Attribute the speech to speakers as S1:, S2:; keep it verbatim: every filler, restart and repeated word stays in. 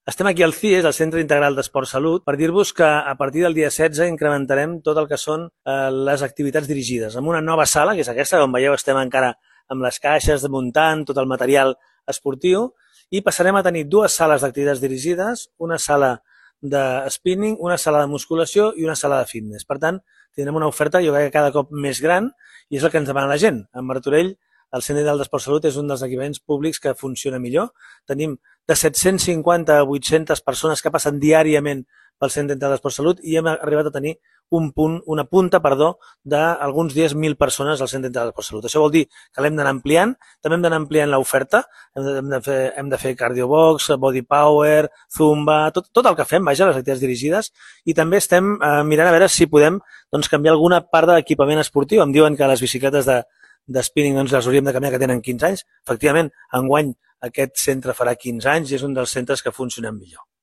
S1: Estem aquí al C I E S, al Centre Integral d'Esport Salut, per dir-vos que a partir del dia setze incrementarem tot el que són eh, les activitats dirigides, amb una nova sala, que és aquesta, com veieu estem encara amb les caixes, muntant tot el material esportiu, i passarem a tenir dues sales d'activitats dirigides, una sala de spinning, una sala de musculació i una sala de fitness. Per tant, tindrem una oferta, jo crec que cada cop més gran, i és el que ens demana la gent. A Martorell, el Centre Integral d'Esport Salut és un dels equipaments públics que funciona millor. Tenim de set-cents cinquanta a vuit-centes persones que passen diàriament pel Centre Integral d'Esport Salut i hem arribat a tenir un punt, una punta perdó, d'alguns dies mil persones al Centre Integral d'Esport Salut. Això vol dir que l'hem d'anar ampliant, també hem d'anar ampliant l'oferta, hem de fer, hem de fer cardiobox, body power, zumba, tot, tot el que fem, vaja, les activitats dirigides, i també estem eh, mirant a veure si podem doncs, canviar alguna part de l'equipament esportiu. Em diuen que les bicicletes de de spinning doncs les hauríem de canviar, que tenen quinze anys. Efectivament, enguany aquest centre farà quinze anys i és un dels centres que funcionen millor.